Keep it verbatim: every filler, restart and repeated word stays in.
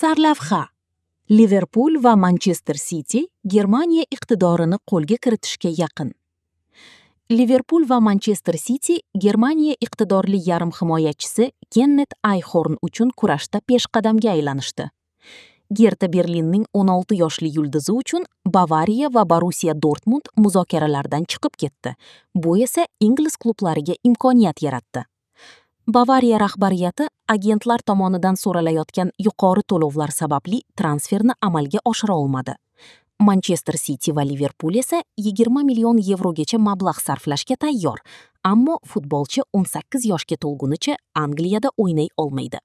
Sarlavha: Liverpul va Manchester City Germaniya iqtidorini qo'lga kiritishga yaqin. Liverpul va Manchester City Germaniya iqtidorli yarim himoyachisi Kennet Ayxorn uchun kurashda peshqadamga aylanishdi. Gerta Berlinning o'n olti yoshli yulduzi uchun Bavariya va Borussiya Dortmund muzokaralardan chiqib ketdi. Bu esa ingliz klublariga imkoniyat yaratdi. Bavariya rahbariyati agentlar tomonidan so'ralayotgan yuqori to'lovlar sababli transferni amalga oshira olmadi. Manchester City va Liverpul esa yigirma million yevrogacha mablag' sarflashga tayyor, ammo futbolchi o'n sakkiz yoshga to'lgunicha Angliyada o'ynay olmaydi.